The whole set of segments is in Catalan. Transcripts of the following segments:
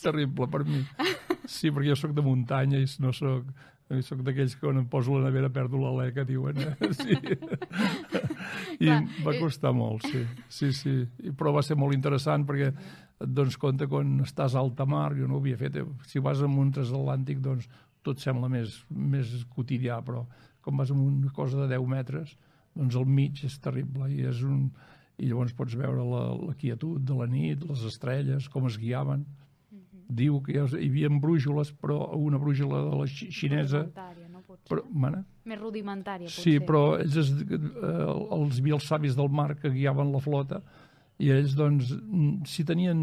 terrible per mi. Sí, perquè jo sóc de muntanya i no sóc d'aquells que quan em poso a la nevera perdo l'alè, que diuen. Sí. I va costar molt, sí. Però va ser molt interessant perquè et dones compte quan estàs a alta mar, jo no ho havia fet. Si vas en un transatlàntic, doncs tot sembla més quotidià, però quan vas en una cosa de 10 metres, doncs al mig és terrible i llavors pots veure la quietud de la nit, les estrelles, com es guiaven. Diu que hi havia brúixoles, però una brúixola de la xinesa... Més rudimentària, potser. Sí, però ells els havia els savis del mar que guiaven la flota i ells, doncs, si tenien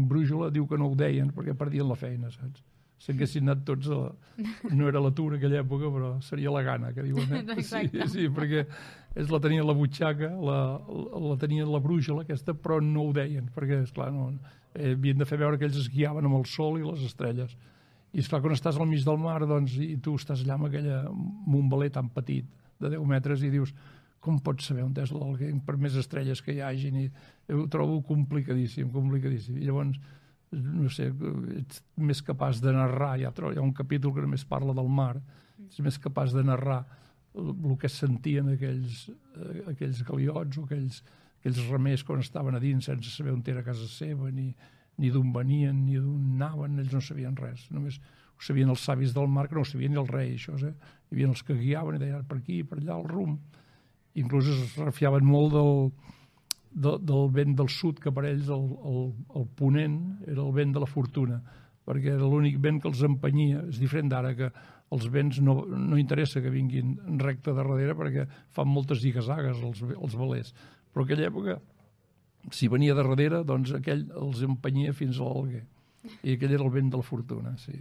brúixola, diu que no ho deien perquè perdien la feina, saps? Si haguessin anat tots no era l'atur en aquella època, però seria la gana, que diuen. Sí, perquè ells la tenien a la butxaca, la tenien a la brúixola aquesta, però no ho deien, perquè, esclar, havien de fer veure que ells es guiaven amb el sol i les estrelles. I, esclar, quan estàs al mig del mar, doncs, i tu estàs allà amb un veler tan petit, de 10 metres, i dius, com pots saber on és l'Alguer, per més estrelles que hi hagin? I ho trobo complicadíssim. I llavors, no sé, ets més capaç de narrar, hi ha un capítol que només parla del mar, ets més capaç de narrar el que sentien aquells galiots o aquells remers quan estaven a dins sense saber on era casa seva, ni d'on venien, ni d'on anaven, ells no sabien res, només ho sabien els savis del mar, que no ho sabien ni el rei, això, Hi havia els que guiaven i deien per aquí, per allà, el rumb. Inclús es refiaven molt del vent del sud, que per ells el ponent era el vent de la fortuna, perquè era l'únic vent que els empenyia. És diferent d'ara, que els vents no interessa que vinguin recte de darrere perquè fan moltes zigazagues els velers. Però en aquella època, si venia de darrere, doncs aquell els empenyia fins a l'Alguer. I aquell era el vent de la fortuna, sí.